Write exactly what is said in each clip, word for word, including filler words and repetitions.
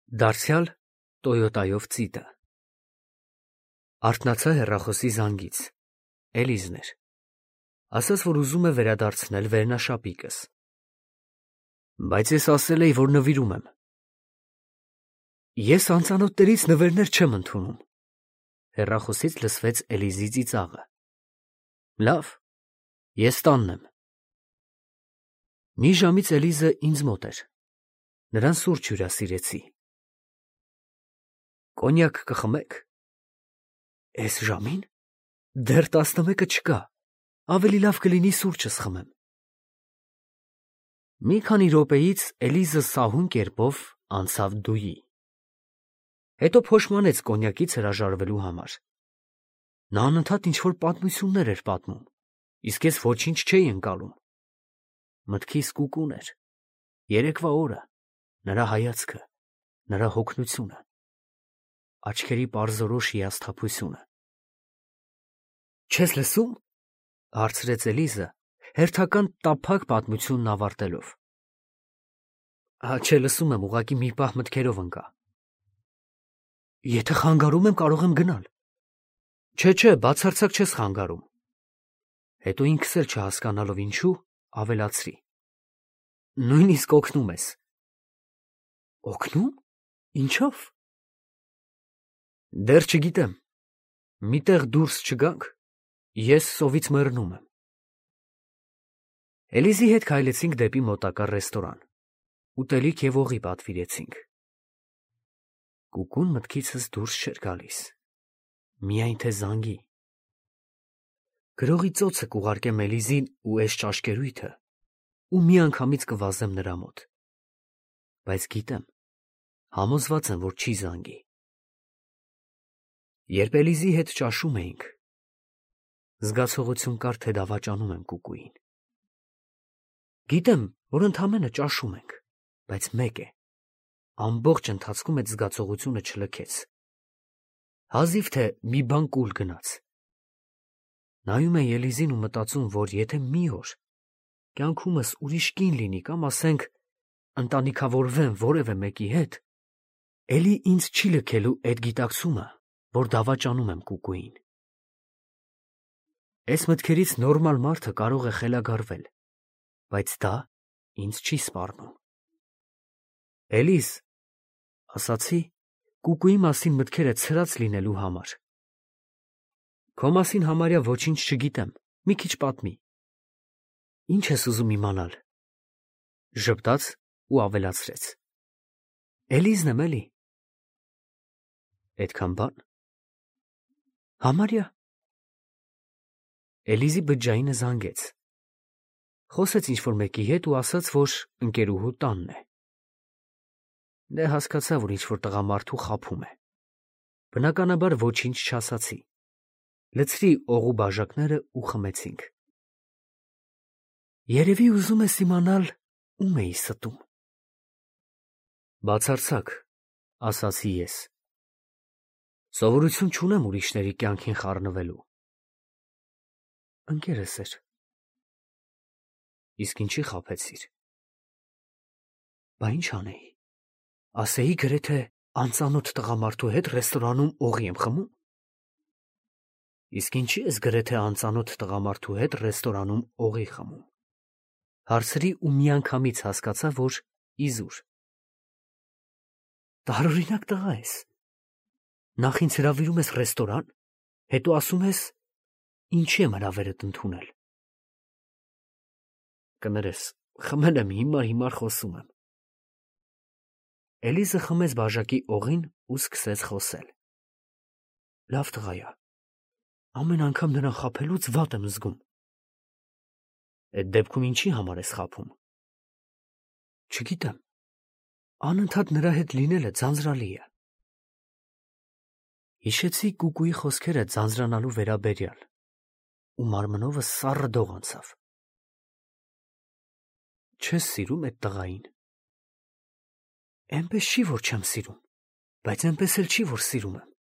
Դարձյալ Տոյոտայով ծիտը։ Արթնացա հեռախոսի զանգից։ Էլիզն էր։ Ասաց, որ ուզում է վերադարձնել վերնաշապիկս։ Բայց ես ասել էի, որ նվիրում եմ։ Ես անծանոթներից նվերներ չեմ ընդունում։ Հեռախոսից լսվեց Էլիզի ծիծաղը։ Լավ, ես տանն եմ։ Մի ժամից Էլիզը ինձ մոտ էր։ Նրան սուրճ հյուրասիրեցի։ Կոնյակ կխմեք։ Էս ժամին։ Դեռ տասնմեկը չկա։ Ավելի լավ կլինի սուրճս խմեմ։ Մի քանի րոպեից Էլիզը սահուն կերպով անցավ դուի։ Հետո փոշմանեց կոնյակից հրաժարվելու համար։ Նա անընդհատ ինչ-որ պատմություններ էր պատմում, իսկ ես ոչինչ չէի ընկալում։ Մտքիս կուկուն էր։ Երեկվա օրը, նրա հայացքը, նրա հոգնությունը, աչքերի պարզորոշ հիասթափությունը։ Չես լսում, հարցրեց Էլիզը, հերթական տափակ պատմությունն ավարտելով։ Հա, չէ, լսում եմ, ուղղակի մի պահ մտքերով ընկա։ Եթե խանգարում եմ, կարող եմ գնալ։ Չէ, չէ, բացարձակ չես խանգարում։ Հետո ինքս էլ չհասկանալով ինչու, ավելացրի. Նույնիսկ օգնում ես։ Օգնում։ Ինչով։ Դեռ չգիտեմ։ Միտեղ դուրս չգանք, ես սովից մեռնում եմ։ Էլիզի հետ քայլեցինք դեպի մոտակա ռեստորան։ Ուտելիք և օղի պատվիրեցինք։ Կուկուն մտքիցս դուրս չէր գալիս։ Միայն թե զանգի։ Գրողի ծոցը կուղարկեմ Էլիզին ու էս ճաշկերույթը, ու միանգամից կվազեմ նրա մոտ։ Բայց գիտեմ, համոզված եմ, որ չի զանգի։ Երբ Էլիզի հետ ճաշում էինք, զգացողություն կար, թե դավաճանում եմ կուկուին։ Գիտեմ, որ ընդամենը ճաշում ենք, բայց մեկ է, ամբողջ ընթացքում այդ զգացողությունը չլքեց։ Հազիվ թե մի բան կուլ գնաց։ Նայում էի Էլիզին ու մտածում, որ եթե մի օր կյանքումս ուրիշ կին լինի կամ, ասենք, ընտանիքավորվեմ որևէ մեկի հետ, էլի ինձ չի լքելու այդ գիտակցումը, որ դավաճանում եմ կուկուին։ Էս մտքերից նորմալ մարդը կարող է խելագարվել, բայց դա ինձ չի սպառնում։ Էլիզ, ասացի, կուկուի մասին մտքերը ցրած լինելու համար։ Քո մասին համարյա ոչինչ չգիտեմ, մի քիչ պատմի։ Ինչ ես ուզում իմանալ։ Ժպտաց ու ավելացրեց. Էլիզն եմ էլի։ Էդքան բան։ Համարյա։ Էլիզի բջջայինը զանգեց։ Խոսեց ինչ-որ մեկի հետ ու ասաց, որ ընկերուհու տանն է։ Դե հասկացա, որ ինչ-որ տղամարդու խաբում է։ Բնականաբար ոչինչ չասացի։ Լցրի օղու բաժակները ու խմեցինք։ Երևի ուզում ես իմանալ, ում էի ստում։ Բացարձակ, ասացի ես։ Սովորություն չունեմ ուրիշների կյանքին խառնվելու։ Ընկերս էր։ Իսկ ինչի խաբեցիր։ Բա ինչ անեի։ Ասեի գրեթե անծանոթ տղամարդու հետ ռեստորանում օղի եմ խմում։ Իսկ ինչի ես գրեթե անծանոթ տղամարդու հետ ռեստորանում օղի խմում։ Հարցրի ու միանգամից հասկացա, որ իզուր։ Տարօրինակ տղա ես։ Նախ ինձ հրավիրում ես ռեստորան, հետո ասում ես, ինչի եմ հրավերդ ընդունել։ Կներես, խմել եմ, հիմար հիմար խոսում եմ։ Էլիզը խմեց բաժակի օղին ու սկսեց խոսել։ Լավ տղա ա։ Ամեն անգամ նրան խաբելուց վատ եմ զգում։ Այդ դեպքում ինչի համար ես խաբում։ Չգիտեմ։ Անընդհատ նրա հետ լինելը ձանձրալի է։ Հիշեցի կուկուի խոսքերը ձանձրանալու վերաբերյալ, ու մարմնովս սառը դող անցավ։ Չես սիրում այդ տղային։ Էնպես չի, որ չեմ սիրում, բայց էնպես էլ չի, որ սիրում եմ։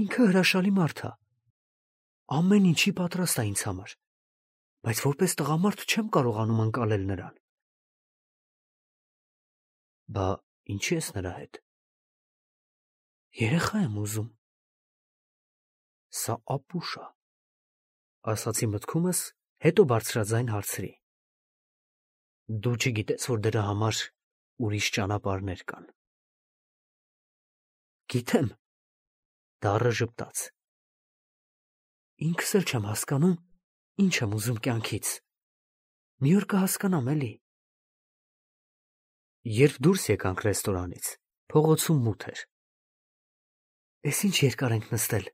Ինքը հրաշալի մարդ է։ Ամեն ինչի պատրաստ է ինձ համար, բայց որպես տղամարդ չեմ կարողանում ընկալել նրան։ Բա Ինչի ես նրա հետ։ Երեխա եմ ուզում։ Սա ապուշ է, ասացի մտքումս, հետո բարձրաձայն հարցրի. Դու չգիտես, որ դրա համար ուրիշ ճանապարհներ կան։ Գիտեմ, դառը ժպտաց։ Ինքս էլ չեմ հասկանում, ինչ եմ ուզում կյանքից։ Մի օր կհասկանամ էլի։ Երբ դուրս եկանք ռեստորանից, փողոցում մութ էր։ Էս ինչ երկար ենք նստել,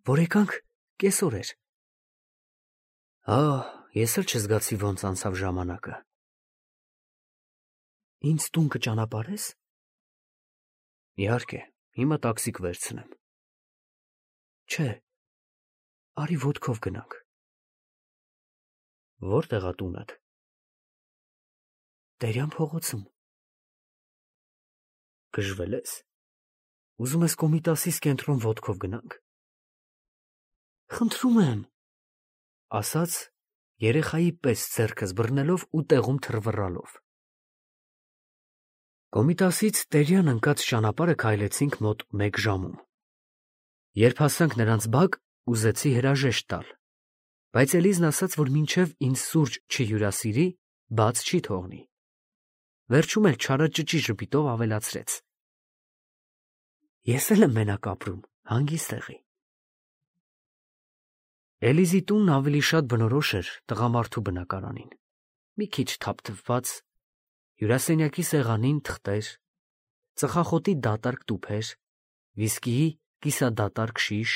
որ եկանք կեսօր էր։ Ահ, ես էլ չզգացի ոնց անցավ ժամանակը։ Ինձ տուն կճանապարհես։ Իհարկե, հիմա տաքսի կվերցնեմ։ Չէ, արի ոտքով գնանք։ Որտեղ է տունդ։ Տերյան փողոցում։ Գժվել ես։ Ուզում ես Կոմիտասից կենտրոն ոտքով գնանք։ Խնդրում եմ, ասաց երեխայի պես ձեռքս բռնելով ու տեղում թռվռալով։ Կոմիտասից Տերյան ընկած ճանապարհը քայլեցինք մոտ մեկ ժամում։ Երբ հասանք նրանց բակ, ուզեցի հրաժեշտ տալ, բայց Էլիզն ասաց, որ մինչև ինձ սուրճ չհյուրասիրի, բաց չի թողնի։ Վերջում էլ չարաճճի ժպիտով ավելացրեց. Ես էլ եմ մենակ ապրում, հանգիստ տեղի։ Էլիզի տունն ավելի շատ բնորոշ էր տղամարդու բնակարանին։ Մի քիչ թափթփված, հյուրասենյակի սեղանին թղթեր, ծխախոտի դատարկ տուփեր, վիսկիի կիսադատարկ շիշ։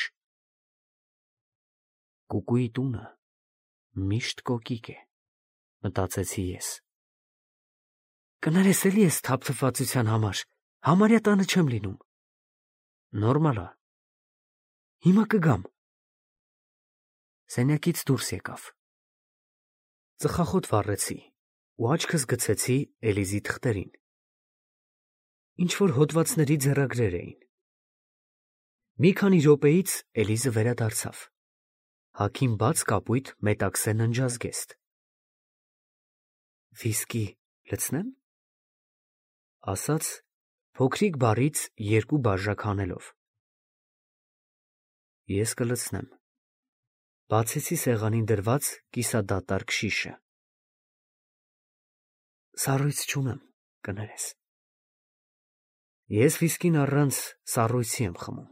Կուկուի տունը միշտ կոկիկ է, մտածեցի ես։ Կներես էլի ես թափթփվածության համար, համարյա տանը չեմ լինում։ Նորմալ է։ Հիմա կգամ։ Սենյակից դուրս եկավ։ Ծխախոտ վառեցի ու աչքս գցեցի Էլիզի թղթերին։ Ինչ-որ հոդվածների ձեռագրեր էին։ Մի քանի րոպեից Էլիզը վերադարձավ։ Հագին բաց կապույտ մետաքսե ննջազգեստ։ Վիսկի լցնե՞մ, ասաց փոքրիկ բարից երկու բաժակ հանելով։ Ես կլցնեմ։ Բացեցի սեղանին դրված կիսադատարկ շիշը։ Սառույց չունեմ, կներես։ Ես վիսկին առանց սառույցի եմ խմում։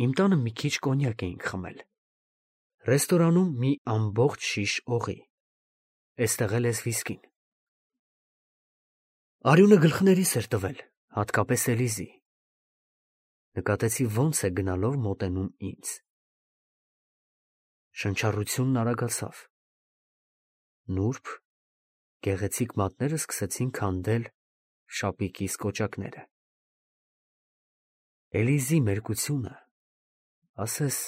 Իմ տանը մի քիչ կոնյակ էինք խմել։ Ռեստորանում մի ամբողջ շիշ օղի։ Էստեղ էլ ես վիսկին։ Արյունը գլխներիս էր տվել, հատկապես Էլիզի։ Նկատեցի ոնց է գնալով մոտենում ինձ։ Շնչառությունն արագացավ։ Նուրբ, գեղեցիկ մատները սկսեցին քանդել շապիկիս կոճակները։ Էլիզի մերկությունը, ասես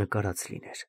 նկարած լիներ։